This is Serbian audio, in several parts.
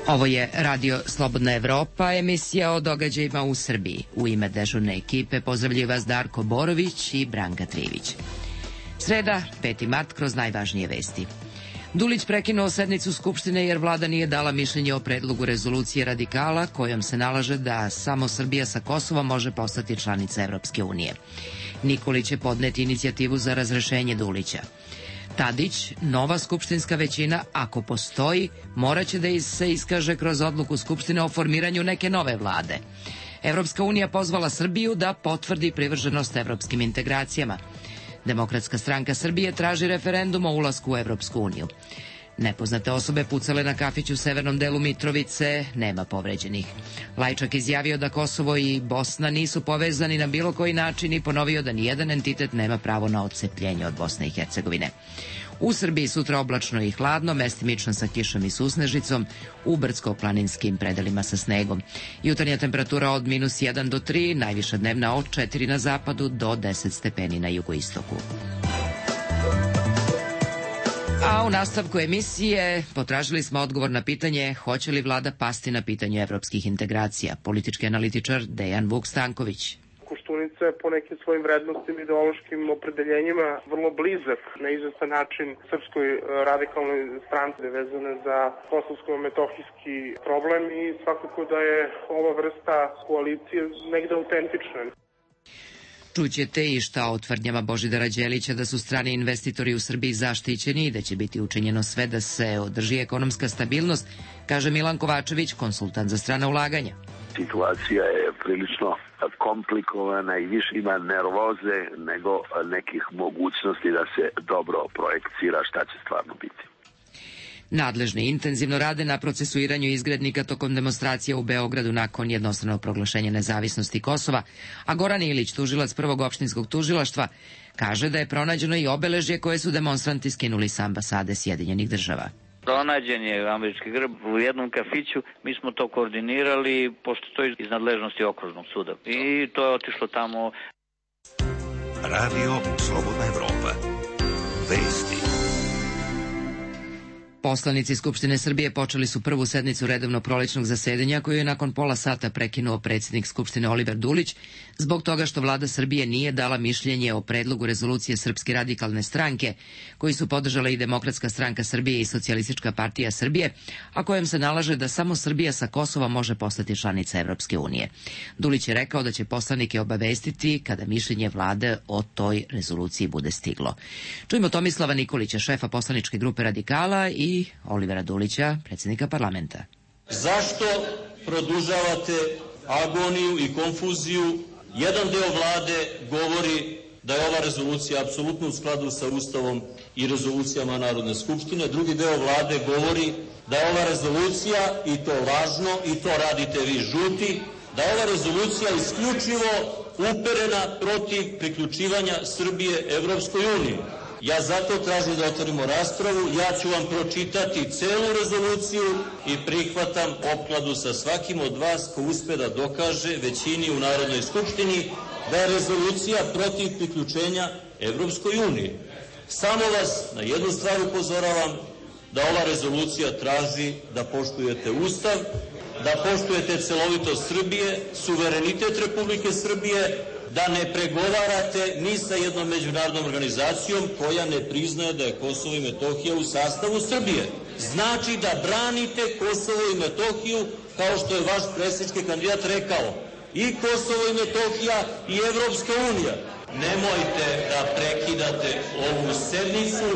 Ovo je Radio Slobodna Evropa, emisija o događajima u Srbiji. U ime dežurne ekipe pozdravljaju vas Darko Borović i Branka Trivić. Sreda, 5. mart, kroz najvažnije vesti. Dulić prekinuo sednicu Skupštine jer vlada nije dala mišljenje o predlogu rezolucije radikala kojom se nalaže da samo Srbija sa Kosovom može postati članica Evropske unije. Nikolić će podneti inicijativu za razrešenje Dulića. Tadić, nova skupštinska većina, ako postoji, moraće da se iskaže kroz odluku Skupštine o formiranju neke nove vlade. Evropska unija pozvala Srbiju da potvrdi privrženost evropskim integracijama. Demokratska stranka Srbije traži referendum o ulasku u Evropsku uniju. Nepoznate osobe pucale na kafić u severnom delu Mitrovice, nema povređenih. Lajčak izjavio da Kosovo i Bosna nisu povezani na bilo koji način i ponovio da nijedan entitet nema pravo na odcepljenje od Bosne i Hercegovine. U Srbiji sutra oblačno i hladno, mestimično sa kišom i susnežicom, u brdsko-planinskim predelima sa snegom. Jutarnja temperatura od -1 do 3, najviša dnevna od 4 na zapadu do 10 stepeni na jugoistoku. A u nastavku emisije potražili smo odgovor na pitanje hoće li vlada pasti na pitanju evropskih integracija. Politički analitičar Dejan Vuk Stanković. Koštunica je po nekim svojim vrednostima i ideološkim opredeljenjima vrlo blizak na izvestan način Srpskoj radikalnoj stranci vezane za kosovsko-metohijski problem i svakako da je ova vrsta koalicije negde autentična. Čućete i šta o tvrdnjama Božidara Đelića da su strani investitori u Srbiji zaštićeni i da će biti učinjeno sve da se održi ekonomska stabilnost, kaže Milan Kovačević, konsultant za strana ulaganja. Situacija je prilično komplikovana i više ima nervoze nego nekih mogućnosti da se dobro projekcira šta će stvarno biti. Nadležni intenzivno rade na procesuiranju izgrednika tokom demonstracija u Beogradu nakon jednostranog proglašenja nezavisnosti Kosova, a Goran Ilić, tužilac Prvog opštinskog tužilaštva, kaže da je pronađeno i obeležje koje su demonstranti skinuli sa ambasade Sjedinjenih država. Pronađen je američki grb u jednom kafiću, mi smo to koordinirali, pošto to je iz nadležnosti okružnog suda. I to je otišlo tamo. Radio Slobodna Evropa. Vesti. Poslanici Skupštine Srbije počeli su prvu sednicu redovnog prolećnog zasedanja koju je nakon pola sata prekinuo predsjednik Skupštine Oliver Dulić zbog toga što vlada Srbije nije dala mišljenje o predlogu rezolucije Srpske radikalne stranke koji su podržale i Demokratska stranka Srbije i Socijalistička partija Srbije, a kojem se nalaže da samo Srbija sa Kosova može postati članica Evropske unije. Dulić je rekao da će poslanike obavestiti kada mišljenje vlade o toj rezoluciji bude stiglo. Čujemo Tomislava Nikolića, šefa poslaničke grupe Radikala, i Olivera Dulića, predsjednika parlamenta. Zašto produžavate agoniju i konfuziju? Jedan deo vlade govori da je ova rezolucija apsolutno u skladu sa Ustavom i rezolucijama Narodne skupštine. Drugi deo vlade govori da je ova rezolucija, i to lažno, i to radite vi žuti, da je ova rezolucija isključivo uperena protiv priključivanja Srbije Evropskoj uniji. Ja zato tražim da otvorimo raspravu, ja ću vam pročitati celu rezoluciju i prihvatam opkladu sa svakim od vas ko uspe da dokaže većini u Narodnoj skupštini da je rezolucija protiv priključenja Evropskoj uniji. Samo vas na jednu stvar upozoravam, da ova rezolucija traži da poštujete Ustav, da poštujete celovitost Srbije, suverenitet Republike Srbije, da ne pregovarate ni sa jednom međunarodnom organizacijom koja ne priznaje da je Kosovo i Metohija u sastavu Srbije. Znači da branite Kosovo i Metohiju, kao što je vaš predsjednički kandidat rekao. I Kosovo i Metohija i Evropska unija. Nemojte da prekidate ovu sednicu,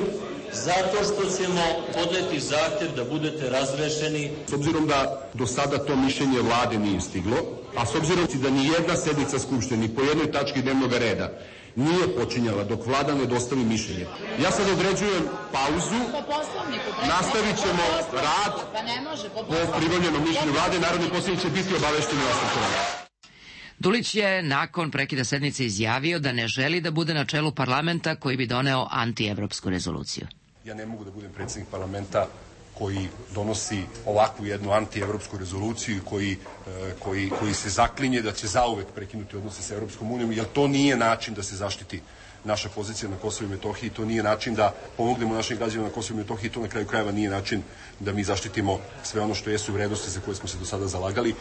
zato što ćemo podneti zahtev da budete razrešeni. S obzirom da do sada to mišljenje vlade nije stiglo, a s obzirom da ni jedna sednica Skupštine, ni po jednoj tački dnevnog reda nije počinjala dok vlada ne dostavi mišljenje. Ja sad određujem pauzu, nastavit ćemo rad po pribavljenom mišljenju vlade, narodni poslanici će biti obavešteni o nastavku rada. Dulić je nakon prekida sednice izjavio da ne želi da bude na čelu parlamenta koji bi doneo antievropsku rezoluciju. Ja ne mogu da budem predsjednik parlamenta koji donosi ovakvu jednu antievropsku rezoluciju i koji se zaklinje da će zauvek prekinuti odnose sa Evropskom unijom, jer to nije način da se zaštiti naša pozicija na Kosovu i Metohiji. To nije način da pomognemo našim građanima na Kosovu i Metohiji, to na kraju krajeva nije način da mi zaštitimo sve ono što jesu vrednosti za koje smo se do sada zalagali.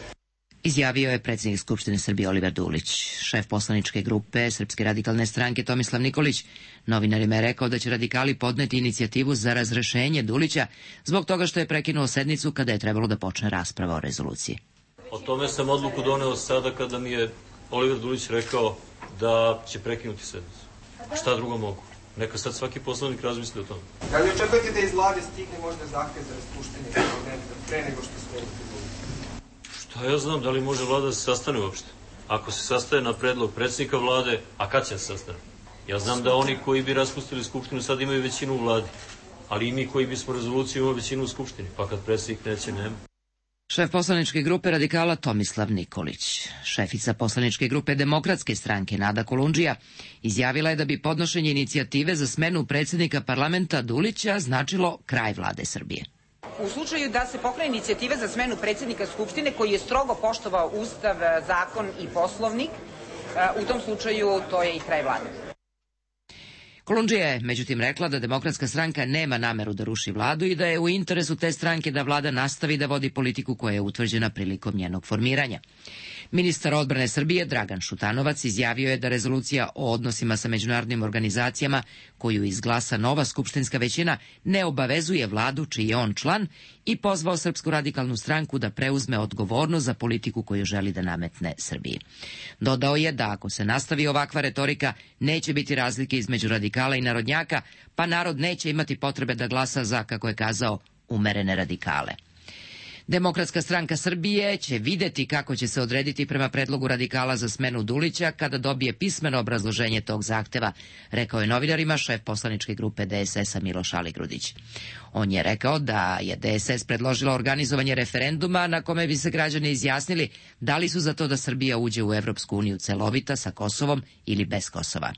Izjavio je predsjednik Skupštine Srbije Oliver Dulić. Šef poslaničke grupe Srpske radikalne stranke Tomislav Nikolić novinarima je rekao da će radikali podneti inicijativu za razrešenje Dulića zbog toga što je prekinuo sednicu kada je trebalo da počne rasprava o rezoluciji. O tome sam odluku doneo sada kada mi je Oliver Dulić rekao da će prekinuti sednicu. Šta drugo mogu? Neka sad svaki poslanik razmisli o tome. Da li očekujete da iz vlade stigne možda zahtev za raspuštanje pre nego što smo... Šta ja znam, da li može vlada da se sastane uopšte? Ako se sastaje na predlog predsjednika vlade, a kad će se sastane? Ja znam da oni koji bi raspustili skupštinu sad imaju većinu u vladi, ali i mi koji bismo rezoluciju imamo većinu u skupštini, pa kad predsjednik neće, nema. Šef poslaničke grupe radikala Tomislav Nikolić. Šefica poslaničke grupe Demokratske stranke Nada Kolundžija izjavila je da bi podnošenje inicijative za smenu predsjednika parlamenta Dulića značilo kraj vlade Srbije. U slučaju da se pokrene inicijativa za smenu predsjednika Skupštine koji je strogo poštovao Ustav, zakon i Poslovnik, u tom slučaju to je i kraj vlade. Kolundžija je međutim rekla da Demokratska stranka nema nameru da ruši vladu i da je u interesu te stranke da vlada nastavi da vodi politiku koja je utvrđena prilikom njenog formiranja. Ministar odbrane Srbije Dragan Šutanovac izjavio je da rezolucija o odnosima sa međunarodnim organizacijama koju izglasa nova skupštinska većina ne obavezuje vladu čiji je on član i pozvao Srpsku radikalnu stranku da preuzme odgovornost za politiku koju želi da nametne Srbiji. Dodao je da ako se nastavi ovakva retorika neće biti razlike između radikala i narodnjaka, pa narod neće imati potrebe da glasa za, kako je kazao, umerene radikale. Demokratska stranka Srbije će videti kako će se odrediti prema predlogu radikala za smenu Dulića kada dobije pismeno obrazloženje tog zahteva, rekao je novinarima šef poslaničke grupe DSS-a Miloš Aligrudić. On je rekao da je DSS predložila organizovanje referenduma na kome bi se građani izjasnili da li su za to da Srbija uđe u Evropsku uniju celovita sa Kosovom ili bez Kosova.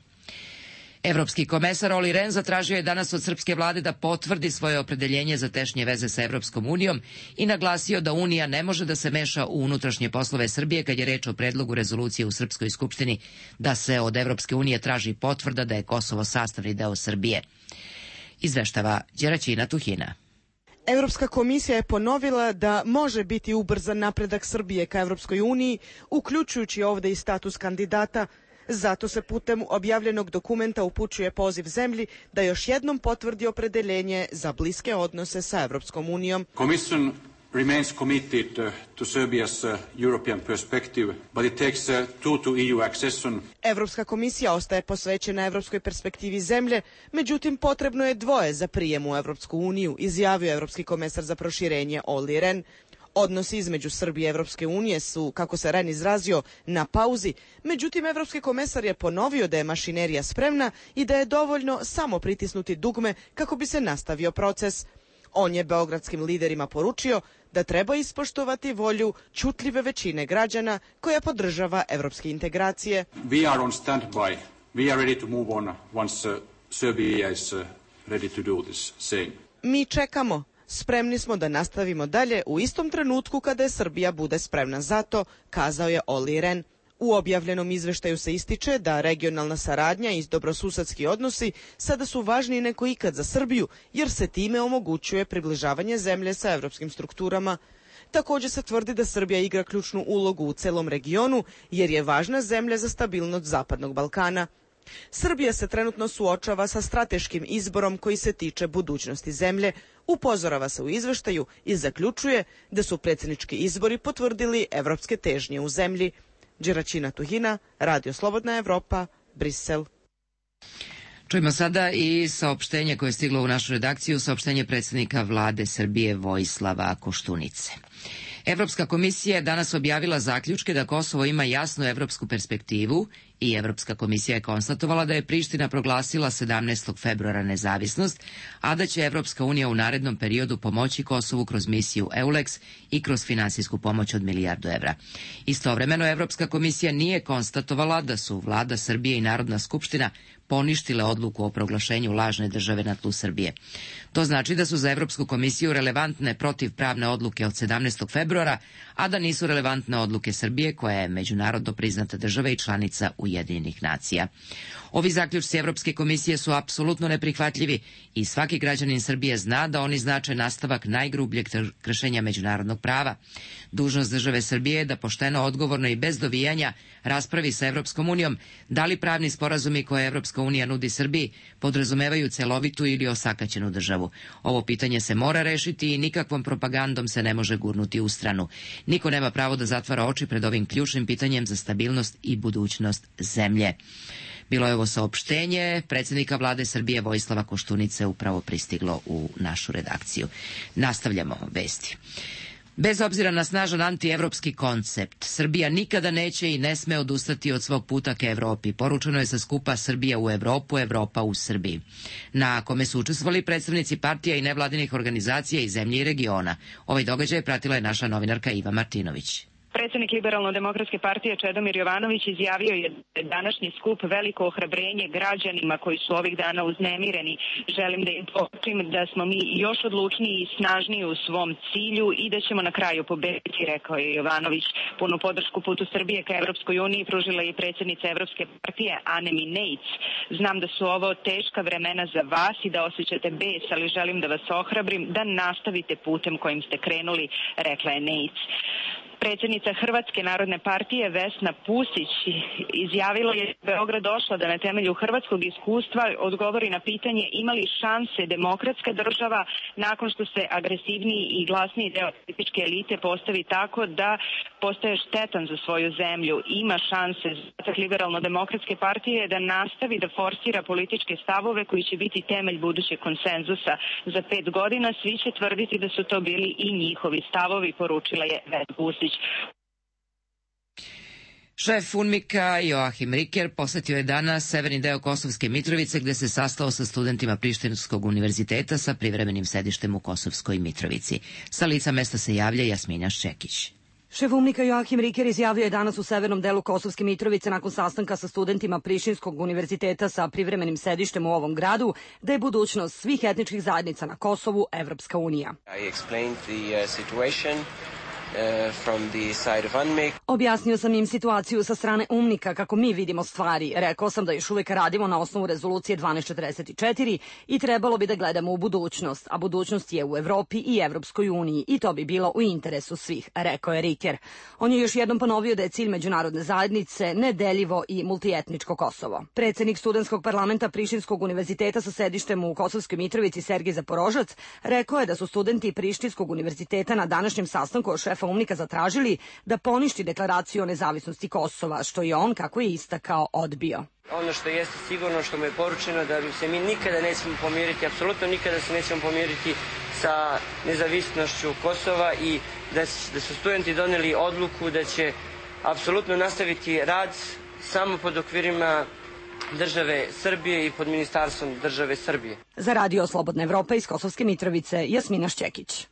Evropski komesar Olli Rehn zatražio je danas od srpske vlade da potvrdi svoje opredeljenje za tešnje veze sa Evropskom unijom i naglasio da Unija ne može da se meša u unutrašnje poslove Srbije kad je reč o predlogu rezolucije u Srpskoj skupštini da se od Evropske unije traži potvrda da je Kosovo sastavni deo Srbije. Izveštava Đeraćina Tuhina. Evropska komisija je ponovila da može biti ubrzan napredak Srbije ka Evropskoj uniji, uključujući ovde i status kandidata. Zato se putem objavljenog dokumenta upućuje poziv zemlji da još jednom potvrdi opredeljenje za bliske odnose sa Evropskom unijom. Commission remains committed to Serbia's European perspective, but it takes two to EU accession. Evropska komisija ostaje posvećena evropskoj perspektivi zemlje, međutim potrebno je dvoje za prijem u Evropsku uniju, izjavio evropski komesar za proširenje Olli Rehn. Odnosi između Srbije i Evropske unije su, kako se Rehn izrazio, na pauzi, međutim evropski komesar je ponovio da je mašinerija spremna i da je dovoljno samo pritisnuti dugme kako bi se nastavio proces. On je beogradskim liderima poručio da treba ispoštovati volju ćutljive većine građana koja podržava evropske integracije. We are on standby. We are ready to move on once Serbia is ready to do this same. Mi čekamo. Spremni smo da nastavimo dalje u istom trenutku kada je Srbija bude spremna za to, kazao je Olli Rehn. U objavljenom izveštaju se ističe da regionalna saradnja i dobrosusedski odnosi sada su važniji nego ikad za Srbiju, jer se time omogućuje približavanje zemlje sa evropskim strukturama. Također se tvrdi da Srbija igra ključnu ulogu u celom regionu, jer je važna zemlja za stabilnost Zapadnog Balkana. Srbija se trenutno suočava sa strateškim izborom koji se tiče budućnosti zemlje, upozorava se u izveštaju i zaključuje da su predsjednički izbori potvrdili evropske težnje u zemlji. Đeraćina Tuhina, Radio Slobodna Evropa, Brisel. Čujemo sada i saopštenje koje je stiglo u našu redakciju, saopštenje predsjednika vlade Srbije Vojislava Koštunice. Evropska komisija je danas objavila zaključke da Kosovo ima jasnu evropsku perspektivu i Evropska komisija je konstatovala da je Priština proglasila 17. februara nezavisnost, a da će Evropska unija u narednom periodu pomoći Kosovu kroz misiju EULEX i kroz finansijsku pomoć od €1.000.000. Istovremeno, Evropska komisija nije konstatovala da su vlada Srbije i Narodna skupština poništile odluku o proglašenju lažne države na tlu Srbije. To znači da su za Evropsku komisiju relevantne protivpravne odluke od 17. februara, a da nisu relevantne odluke Srbije, koja je međunarodno priznata država i članica Ujedinjenih nacija. Ovi zaključci Evropske komisije su apsolutno neprihvatljivi i svaki građanin Srbije zna da oni znače nastavak najgrubljeg kršenja međunarodnog prava. Dužnost države Srbije je da pošteno, odgovorno i bez dovijanja raspravi sa Evropskom unijom da li pravni sporazumi koje Evropska unija nudi Srbiji podrazumevaju celovitu ili osakaćenu državu. Ovo pitanje se mora rešiti i nikakvom propagandom se ne može gurnuti u stranu. Niko nema pravo da zatvara oči pred ovim ključnim pitanjem za stabilnost i budućnost zemlje. Bilo je ovo saopštenje predsjednika vlade Srbije Vojislava Koštunice upravo pristiglo u našu redakciju. Nastavljamo vesti. Bez obzira na snažan antievropski koncept, Srbija nikada neće i ne sme odustati od svog puta ka Evropi. Poručeno je sa skupa Srbija u Evropu, Evropa u Srbiji, na kome su učestvovali predstavnici partija i nevladinih organizacija iz zemlje i regiona. Ovaj događaj pratila je naša novinarka Iva Martinović. Predsjednik Liberalno-demokratske partije Čedomir Jovanović izjavio je današnji skup veliko ohrabrenje građanima koji su ovih dana uznemireni. Želim da im poručim da smo mi još odlučniji i snažniji u svom cilju i da ćemo na kraju pobediti, rekao je Jovanović. Punu podršku putu Srbije ka Evropskoj uniji pružila je i predsjednica Evropske partije Anemi Nejc. Znam da su ovo teška vremena za vas i da osjećate bes, ali želim da vas ohrabrim da nastavite putem kojim ste krenuli, rekla je Nejc. Predsjednica Hrvatske narodne partije Vesna Pusić izjavila je da Beograd došla da na temelju hrvatskog iskustva odgovori na pitanje ima li šanse demokratska država nakon što se agresivniji i glasniji deo političke elite postavi tako da postaje štetan za svoju zemlju. Ima šanse. Zadatak Liberalno-demokratske partije je da nastavi da forsira političke stavove koji će biti temelj budućeg konsenzusa. Za 5 godina svi će tvrditi da su to bili i njihovi stavovi, poručila je Vesna Pusić. Šef UNMIK-a Joachim Ricker posetio je danas severni deo Kosovske Mitrovice gde se sastao sa studentima Prištinskog univerziteta sa privremenim sedištem u Kosovskoj Mitrovici. Sa lica mesta se javlja Jasmina Ščekić. Šef UNMIK-a Joachim Ricker izjavio je danas u severnom delu Kosovske Mitrovice nakon sastanka sa studentima Prištinskog univerziteta sa privremenim sedištem u ovom gradu da je budućnost svih etničkih zajednica na Kosovu Evropska unija. Objasnio sam im situaciju sa strane UNMIK-a kako mi vidimo stvari. Rekao sam da još uvijek radimo na osnovu rezolucije 1244 i trebalo bi da gledamo u budućnost, a budućnost je u Evropi i Evropskoj uniji i to bi bilo u interesu svih, rekao je Ricker. On je još jednom ponovio da je cilj međunarodne zajednice nedeljivo i multietničko Kosovo. Predsjednik studentskog parlamenta Prištinskog univerziteta sa sedištem u Kosovskoj Mitrovici Sergij Zaporožac rekao je da su studenti Prištinskog univerziteta na današnjem sastanku od šefa UNMIK-a zatražili da poništi deklaraciju o nezavisnosti Kosova, što je on, kako je istakao, odbio. Ono što jeste sigurno, što mu je poručeno, da se mi nikada nećemo pomiriti, apsolutno nikada se nećemo pomiriti sa nezavisnošću Kosova i da su studenti doneli odluku da će apsolutno nastaviti rad samo pod okvirima države Srbije i pod ministarstvom države Srbije. Za Radio Slobodna Evropa iz Kosovske Mitrovice, Jasmina Ščekić.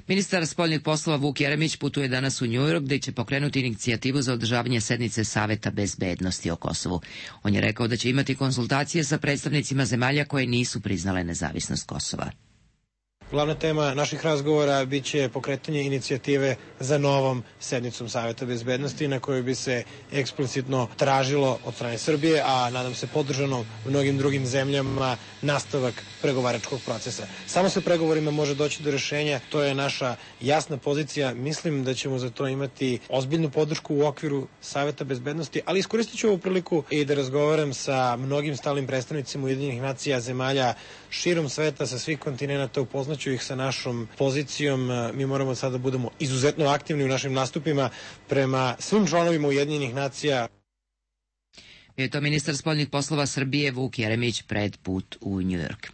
Ministar spoljnih poslova Vuk Jeremić putuje danas u Njujork gde će pokrenuti inicijativu za održavanje sednice Saveta bezbednosti o Kosovu. On je rekao da će imati konsultacije sa predstavnicima zemalja koje nisu priznale nezavisnost Kosova. Glavna tema naših razgovora biće pokretanje inicijative za novom sednicom Saveta bezbednosti na kojoj bi se eksplicitno tražilo od strane Srbije, a nadam se podržano mnogim drugim zemljama, nastavak pregovaračkog procesa. Samo sa pregovorima može doći do rešenja, to je naša jasna pozicija. Mislim da ćemo za to imati ozbiljnu podršku u okviru Saveta bezbednosti, ali iskoristit ću ovu priliku i da razgovaram sa mnogim stalnim predstavnicima Ujedinjenih nacija, zemalja širom sveta, sa svih kontinenata, upoznaću ih sa našom pozicijom. Mi moramo sada da budemo izuzetno aktivni u našim nastupima prema svim članovima Ujedinjenih nacija. Je to ministar spoljnih poslova Srbije Vuk Jeremić pred put u Njujork.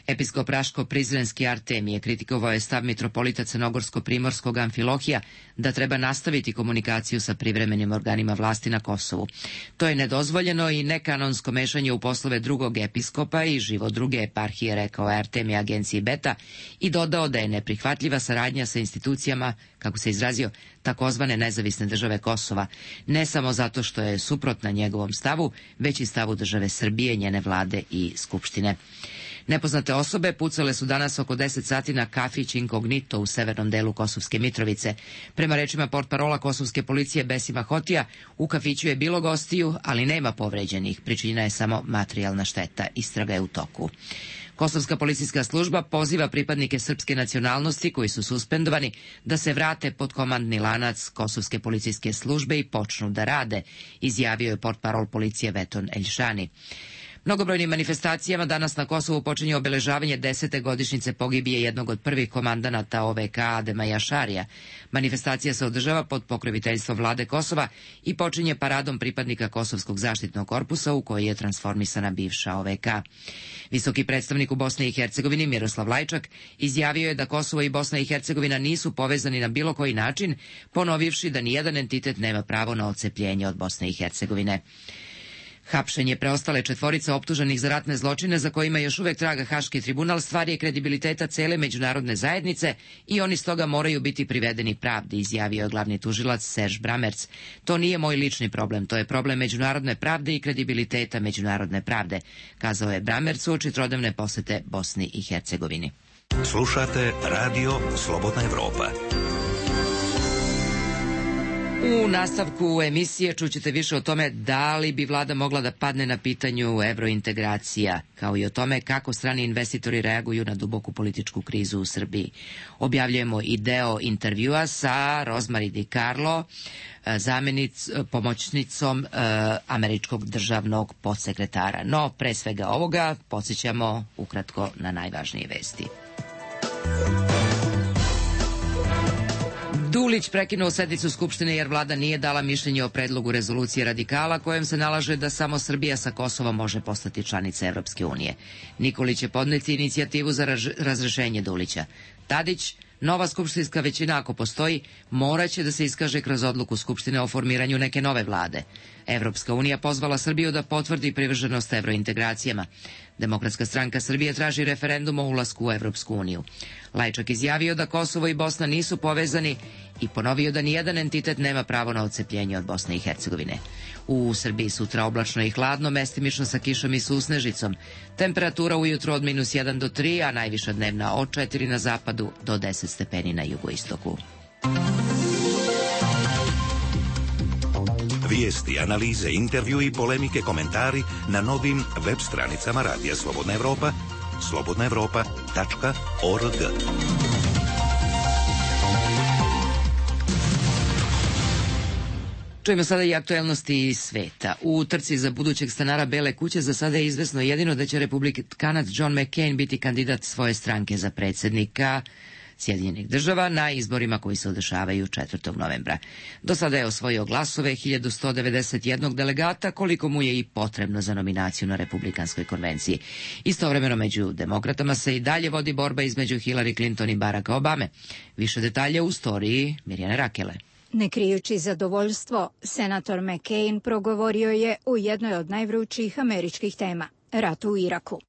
Episkop Raško-Prizrenski Artemije kritikovao je stav mitropolita Crnogorsko-Primorskog Amfilohija da treba nastaviti komunikaciju sa privremenim organima vlasti na Kosovu. To je nedozvoljeno i nekanonsko mešanje u poslove drugog episkopa i život druge eparhije, rekao je Artemije agenciji Beta i dodao da je neprihvatljiva saradnja sa institucijama, kako se izrazio, takozvane nezavisne države Kosova, ne samo zato što je suprotna njegovom stavu, već i stavu države Srbije, njene vlade i skupštine. Nepoznate osobe pucale su danas oko 10 sati na kafić Inkognito u severnom delu Kosovske Mitrovice. Prema rečima portparola kosovske policije Besima Hotija, u kafiću je bilo gostiju, ali nema povređenih. Pričinjena je samo materijalna šteta. Istraga je u toku. Kosovska policijska služba poziva pripadnike srpske nacionalnosti koji su suspendovani da se vrate pod komandni lanac Kosovske policijske službe i počnu da rade, izjavio je portparol policije Veton Eljšani. Mnogobrojnim manifestacijama danas na Kosovu počinje obeležavanje 10. godišnjice pogibije jednog od prvih komandanata OVK Adema Jašarija. Manifestacija se održava pod pokroviteljstvom vlade Kosova i počinje paradom pripadnika Kosovskog zaštitnog korpusa u koji je transformisana bivša OVK. Visoki predstavnik u Bosni i Hercegovini Miroslav Lajčak izjavio je da Kosovo i Bosna i Hercegovina nisu povezani na bilo koji način, ponovivši da nijedan entitet nema pravo na odcepljenje od Bosne i Hercegovine. Hapšenje preostale četvorice optuženih za ratne zločine za kojima još uvek traga Haški tribunal stvar je kredibiliteta cele međunarodne zajednice i oni stoga moraju biti privedeni pravdi, izjavio je glavni tužilac Serž Bramerc. To nije moj lični problem, to je problem međunarodne pravde i kredibiliteta međunarodne pravde, kazao je Bramerc uoči trodnevne posete Bosni i Hercegovini. Slušate Radio Slobodna Evropa. U nastavku emisije čućete više o tome da li bi vlada mogla da padne na pitanju evrointegracija, kao i o tome kako strani investitori reaguju na duboku političku krizu u Srbiji. Objavljujemo i deo intervjua sa Rosemary DiCarlo, pomoćnicom američkog državnog podsekretara. No, pre svega ovoga, podsjećamo ukratko na najvažnije vesti. Dulić prekinuo sednicu Skupštine jer vlada nije dala mišljenje o predlogu rezolucije radikala kojem se nalaže da samo Srbija sa Kosovom može postati članica Evropske unije. Nikolić će podneti inicijativu za razrešenje Dulića. Tadić, nova skupštinska većina ako postoji, moraće da se iskaže kroz odluku Skupštine o formiranju neke nove vlade. Evropska unija pozvala Srbiju da potvrdi privrženost evrointegracijama. Demokratska stranka Srbije traži referendum o ulasku u Evropsku uniju. Lajčak izjavio da Kosovo i Bosna nisu povezani i ponovio da nijedan entitet nema pravo na odcepljenje od Bosne i Hercegovine. U Srbiji sutra oblačno i hladno, mestimično sa kišom i susnežicom. Temperatura ujutro od -1 do 3, a najviša dnevna od 4 na zapadu do 10 stepeni na jugoistoku. Vijesti, analize, intervju i polemike, komentari na novim web stranicama Radija Slobodna Evropa, slobodnaevropa.org. Čujemo sada i aktuelnosti sveta. U trci za budućeg stanara Bele kuće za sada je izvesno jedino da će republikanac John McCain biti kandidat svoje stranke za predsjednika Sjedinjenih država na izborima koji se održavaju 4. novembra. Do sada je osvojio glasove 1191 delegata, koliko mu je i potrebno za nominaciju na Republikanskoj konvenciji. Istovremeno među demokratama se i dalje vodi borba između Hillary Clinton i Baracka Obame. Više detalje u storiji Mirjane Rakele. Ne krijući zadovoljstvo, senator McCain progovorio je u jednoj od najvrućih američkih tema. Rat u Iraku.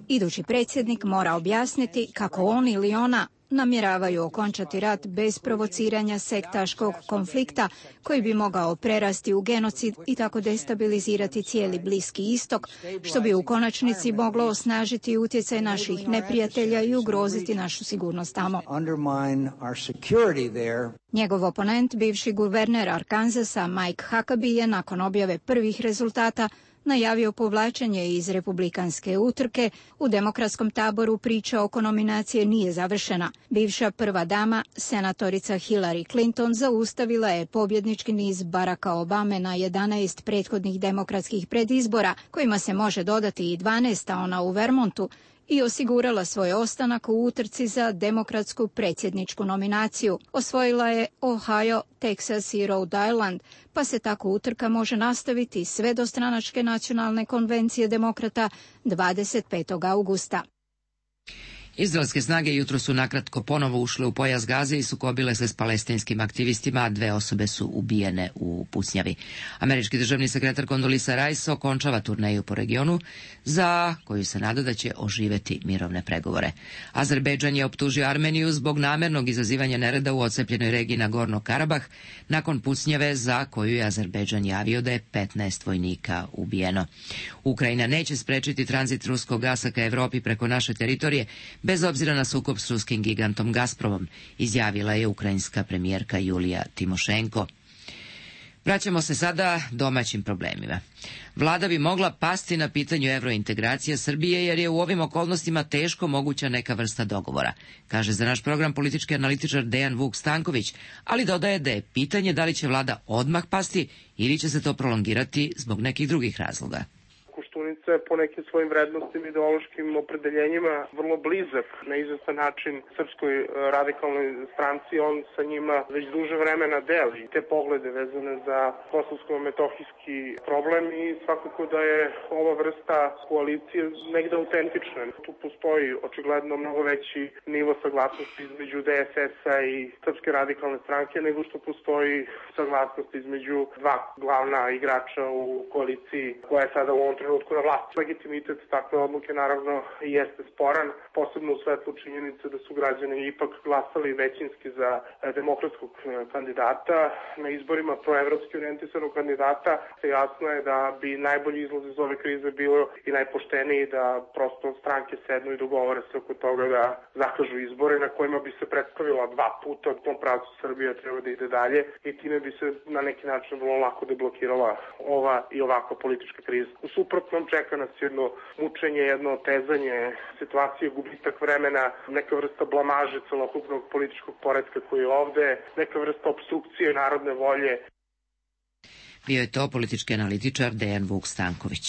Idući predsjednik mora objasniti kako on ili ona namjeravaju okončati rat bez provociranja sektaškog konflikta koji bi mogao prerasti u genocid i tako destabilizirati cijeli Bliski istok, što bi u konačnici moglo osnažiti utjecaj naših neprijatelja i ugroziti našu sigurnost tamo. Njegov oponent, bivši guverner Arkansasa Mike Huckabee, je nakon objave prvih rezultata najavio povlačenje iz republikanske utrke. U demokratskom taboru priča oko nominacije nije završena. Bivša prva dama, senatorica Hillary Clinton, zaustavila je pobjednički niz Baracka Obame na 11 prethodnih demokratskih predizbora, kojima se može dodati i 12, ona u Vermontu, i osigurala svoj ostanak u utrci za demokratsku predsjedničku nominaciju. Osvojila je Ohio, Texas i Rhode Island, pa se tako utrka može nastaviti sve do stranačke nacionalne konvencije demokrata 25. augusta. Izraelske snage jutro su nakratko ponovo ušle u pojas Gaze i sukobile se s palestinskim aktivistima, a 2 osobe su ubijene u pucnjavi. Američki državni sekretar Condoleezza Rice okončava turneju po regionu, za koju se nada da će oživeti mirovne pregovore. Azerbejdžan je optužio Armeniju zbog namernog izazivanja nereda u odcepljenoj regiji Nagorno Karabah, nakon pucnjave za koju je Azerbejdžan javio da je 15 vojnika ubijeno. Ukrajina neće sprečiti tranzit ruskog gasa ka Evropi preko naše teritorije, bez obzira na sukob s ruskim gigantom Gazpromom, izjavila je ukrajinska premijerka Julija Timošenko. Vraćamo se sada domaćim problemima. Vlada bi mogla pasti na pitanju evrointegracija Srbije jer je u ovim okolnostima teško moguća neka vrsta dogovora, kaže za naš program politički analitičar Dejan Vuk Stanković, ali dodaje da je pitanje da li će vlada odmah pasti ili će se to prolongirati zbog nekih drugih razloga. Koštunica je po nekim svojim vrednostima i ideološkim opredeljenjima vrlo blizak na izvestan način Srpskoj radikalnoj stranci. On sa njima već duže vremena deli te poglede vezane za kosovsko-metohijski problem i svakako da je ova vrsta koalicije negde autentična. Tu postoji očigledno mnogo veći nivo saglasnosti između DSS-a i Srpske radikalne stranke nego što postoji saglasnost između dva glavna igrača u koaliciji koja je sada u ovom trenutku na vlasti. Legitimitet takve odluke naravno jeste sporan, posebno u svetlu činjenice da su građani ipak glasali većinski za demokratskog kandidata. Na izborima proevropski orijentisanog kandidata jasno je da bi najbolji izlaz iz ove krize bilo i najpošteniji da prosto stranke sednu i dogovore se oko toga da zakažu izbore na kojima bi se predstavila 2 puta u tom pravcu Srbija treba da ide dalje i time bi se na neki način vrlo lako deblokirala ova i ovakva politička kriza. U suprotnom čeka nas jedno mučenje, jedno otezanje situacije, gubitak vremena, neka vrsta blamaže celokupnog političkog poretka koji je ovde, neka vrsta opstrukcije narodne volje. Bio je to politički analitičar Dejan Vuk Stanković.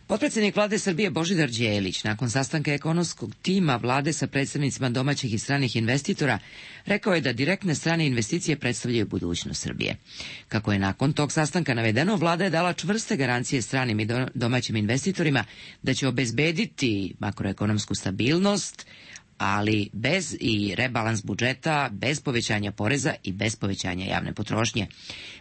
Potpredsjednik vlade Srbije Božidar Đelić nakon sastanka ekonomskog tima vlade sa predstavnicima domaćih i stranih investitora rekao je da direktne strane investicije predstavljaju budućnost Srbije. Kako je nakon tog sastanka navedeno, vlada je dala čvrste garancije stranim i domaćim investitorima da će obezbediti makroekonomsku stabilnost, ali bez i rebalans budžeta, bez povećanja poreza i bez povećanja javne potrošnje.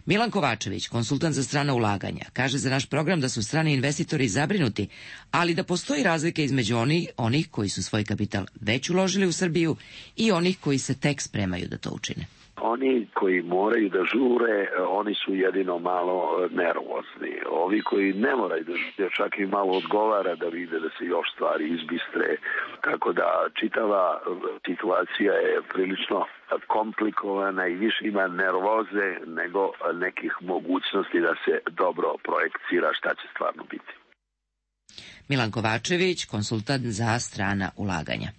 Milan Kovačević, konsultant za strana ulaganja, kaže za naš program da su strani investitori zabrinuti, ali da postoji razlika između onih koji su svoj kapital već uložili u Srbiju i onih koji se tek spremaju da to učine. Oni koji moraju da žure, oni su jedino malo nervozni. Ovi koji ne moraju da žure, čak i malo odgovara da vide da se još stvari izbistre. Tako da čitava situacija je prilično komplikovana i više ima nervoze nego nekih mogućnosti da se dobro projekcira šta će stvarno biti. Milan Kovačević, konsultant za strana ulaganja.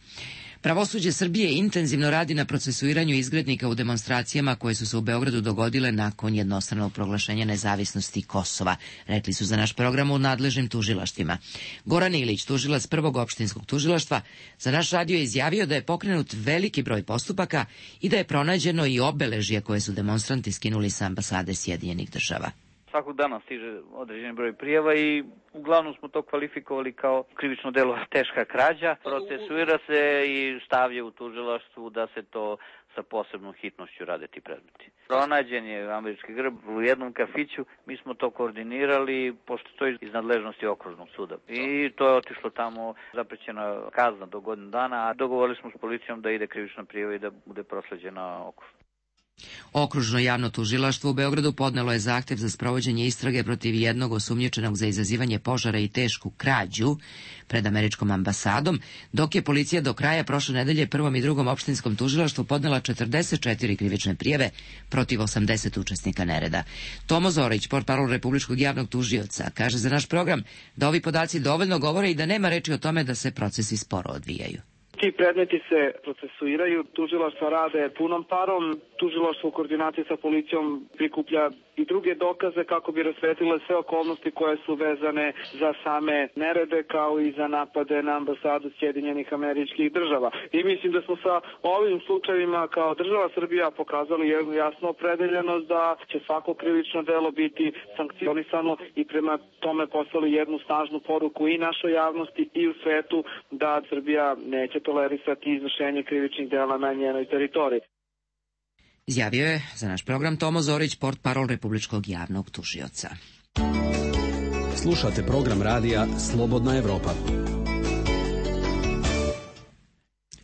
Pravosuđe Srbije intenzivno radi na procesuiranju izgrednika u demonstracijama koje su se u Beogradu dogodile nakon jednostranog proglašenja nezavisnosti Kosova, rekli su za naš program u nadležnim tužilaštvima. Goran Ilić, tužilac prvog opštinskog tužilaštva, za naš radio je izjavio da je pokrenut veliki broj postupaka i da je pronađeno i obeležje koje su demonstranti skinuli sa ambasade Sjedinjenih Država. Svakog dana stiže određeni broj prijava i uglavnom smo to kvalifikovali kao krivično delo teška krađa. Procesuira se i stavlja u tužilaštvu da se to sa posebnom hitnošću rade ti predmeti. Pronađen je američki grb u jednom kafiću, mi smo to koordinirali, pošto to je iz nadležnosti okružnog suda. I to je otišlo tamo, zaprećena kazna do godinu dana, a dogovorili smo s policijom da ide krivična prijava i da bude prosleđena okružno. Okružno javno tužilaštvo u Beogradu podnelo je zahtev za sprovođenje istrage protiv jednog osumnjičenog za izazivanje požara i tešku krađu pred američkom ambasadom, dok je policija do kraja prošle nedelje prvom i drugom opštinskom tužilaštvu podnela 44 krivične prijave protiv 80 učesnika nereda. Tomo Zorić, portparol Republičkog javnog tužioca, kaže za naš program da ovi podaci dovoljno govore i da nema reči o tome da se procesi sporo odvijaju. Ti predmeti se procesuiraju, tužilaštva rade punom parom, tužilaštvo u koordinaciji sa policijom prikuplja i druge dokaze kako bi rasvetlile sve okolnosti koje su vezane za same nerede kao i za napade na ambasadu Sjedinjenih Američkih Država. I mislim da smo sa ovim slučajevima kao država Srbija pokazali jednu jasnu opredeljenost da će svako krivično delo biti sankcionisano i prema tome poslali jednu snažnu poruku i našoj javnosti i u svetu da Srbija neće tolerisati izvršenje krivičnih dela na njenoj teritoriji. Izjavio je za naš program Tomo Zorić, portparol Republičkog javnog tužioca. Slušate program radija Slobodna Evropa.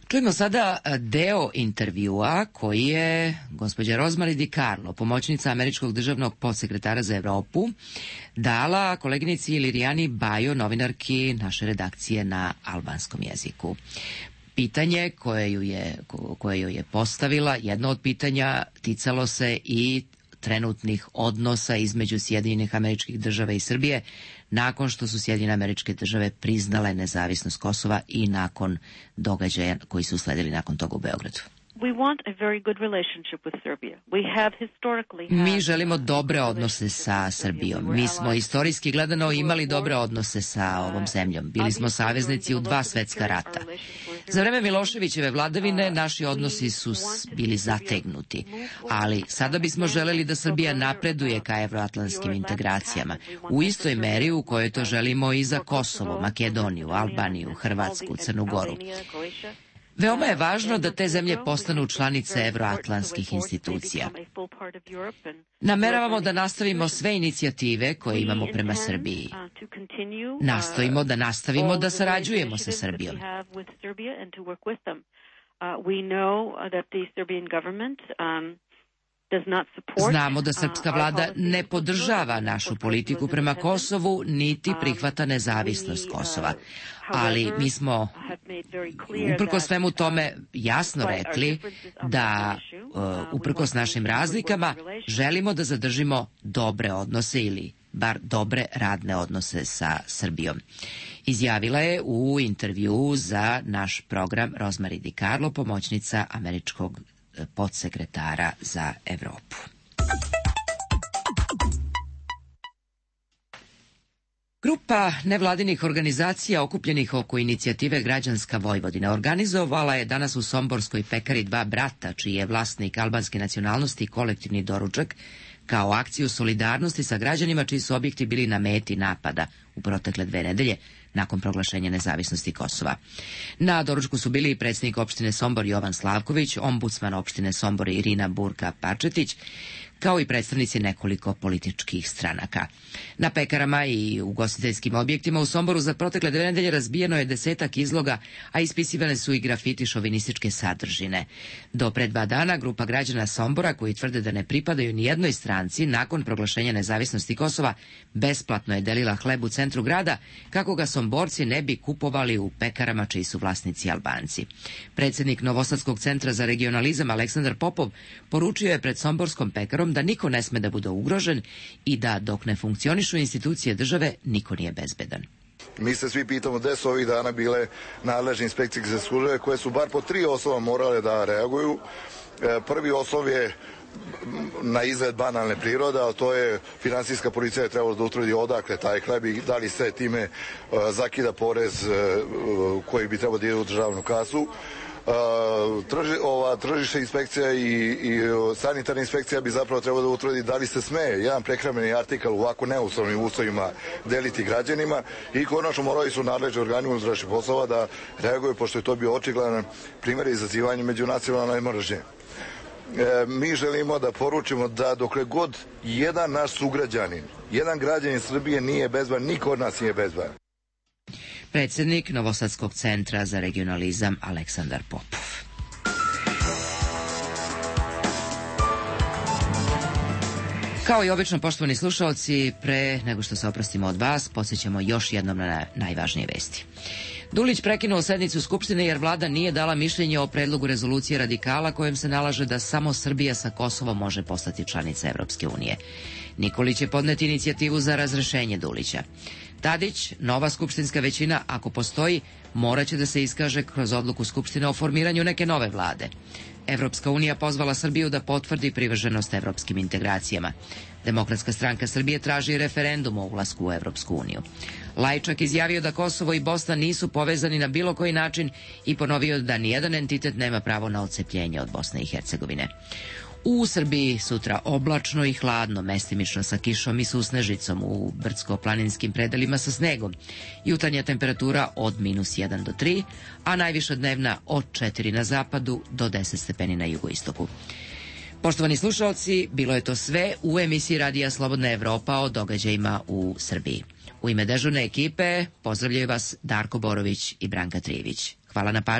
Čujemo sada deo intervjua koji je gospođa Rosemary DiCarlo, pomoćnica američkog državnog podsekretara za Evropu, dala koleginici Lirijani Bajo, novinarki naše redakcije na albanskom jeziku. Pitanje koje joj je postavila, jedno od pitanja ticalo se i trenutnih odnosa između Sjedinjenih Američkih Država i Srbije nakon što su Sjedinjene Američke Države priznale nezavisnost Kosova i nakon događaja koji su usledili nakon toga u Beogradu. Mi želimo dobre odnose sa Srbijom. Mi smo istorijski gledano imali dobre odnose sa ovom zemljom. Bili smo saveznici u 2 svetska rata. Za vreme Miloševićeve vladavine naši odnosi su bili zategnuti, ali sada bismo želeli da Srbija napreduje ka evroatlantskim integracijama u istoj meri u kojoj to želimo i za Kosovo, Makedoniju, Albaniju, Hrvatsku, Crnu Goru. Veoma je važno da te zemlje postanu članice evroatlantskih institucija. Nameravamo da nastavimo sve inicijative koje imamo prema Srbiji. Nastojimo da nastavimo da sarađujemo sa Srbijom. Znamo da srpska vlada ne podržava našu politiku prema Kosovu, niti prihvata nezavisnost Kosova. Ali mi smo uprkos svemu tome jasno rekli da uprkos našim razlikama želimo da zadržimo dobre odnose ili bar dobre radne odnose sa Srbijom. Izjavila je u intervjuu za naš program Rosemary DiCarlo, pomoćnica američkog podsekretara za Evropu. Grupa nevladinih organizacija okupljenih oko inicijative Građanska Vojvodina organizovala je danas u somborskoj pekari Dva brata, čiji je vlasnik albanske nacionalnosti kolektivni doručak, kao akciju solidarnosti sa građanima čiji su objekti bili na meti napada u protekle 2 nedelje nakon proglašenja nezavisnosti Kosova. Na doručku su bili i predsjednik opštine Sombor Jovan Slavković, ombudsman opštine Sombor Irina Burka Pačetić, kao i predstavnici nekoliko političkih stranaka. Na pekarama i ugostiteljskim objektima u Somboru za protekle 2 nedelje razbijeno je 10-ak izloga, a ispisivane su i grafiti šovinističke sadržine. Do pre 2 dana grupa građana Sombora, koji tvrde da ne pripadaju ni jednoj stranci, nakon proglašenja nezavisnosti Kosova, besplatno je delila hleb u centru grada, kako ga Somborci ne bi kupovali u pekarama čiji su vlasnici Albanci. Predsjednik Novosadskog centra za regionalizam Aleksandar Popov poručio je pred somborskom pekarom da niko ne sme da bude ugrožen i da dok ne funkcionišu institucije države, niko nije bezbedan. Mi se svi pitamo gde su ovih dana bile nadležne inspekcijske službe koje su bar po 3 osnova morale da reaguju. Prvi oslov je na izgled banalne prirode, ali to je finansijska policija je trebala da utvrdi odakle taj hleb i da li se time zakida porez koji bi trebao da ide u državnu kasu. Tržišna inspekcija i sanitarna inspekcija bi zapravo trebalo da utvrdi da li se sme jedan prehrambeni artikal u ovako neuslovnim uslovima deliti građanima i konačno morali su nadležni organi unutrašnjih poslova da reaguju, pošto je to bio očigledan primjer izazivanja međunacionalne mržnje. Mi želimo da poručimo da dokle god jedan naš sugrađanin, jedan građanin Srbije nije bezban, niko od nas nije bezban. Predsjednik Novosadskog centra za regionalizam Aleksandar Popov. Kao i obično, poštovani slušaoci, pre nego što se oprostimo od vas, podsjećamo još jednom na najvažnije vesti. Dulić prekinuo sednicu Skupštine jer vlada nije dala mišljenje o predlogu rezolucije radikala kojem se nalaže da samo Srbija sa Kosovom može postati članica Evropske unije. Nikolić je podneti inicijativu za razrešenje Dulića. Tadić, nova skupštinska većina, ako postoji, moraće da se iskaže kroz odluku Skupštine o formiranju neke nove vlade. Evropska unija pozvala Srbiju da potvrdi privrženost evropskim integracijama. Demokratska stranka Srbije traži referendum o ulasku u Evropsku uniju. Lajčak izjavio da Kosovo i Bosna nisu povezani na bilo koji način i ponovio da nijedan entitet nema pravo na odcepljenje od Bosne i Hercegovine. U Srbiji sutra oblačno i hladno, mestimično sa kišom i susnežicom, u brdsko-planinskim predelima sa snegom. Jutarnja temperatura od -1 do 3, a najviša dnevna od 4 na zapadu do 10 stepeni na jugoistoku. Poštovani slušalci, bilo je to sve u emisiji Radija Slobodna Evropa o događajima u Srbiji. U ime dežurne ekipe pozdravljaju vas Darko Borović i Branka Trijević. Hvala na pažnji.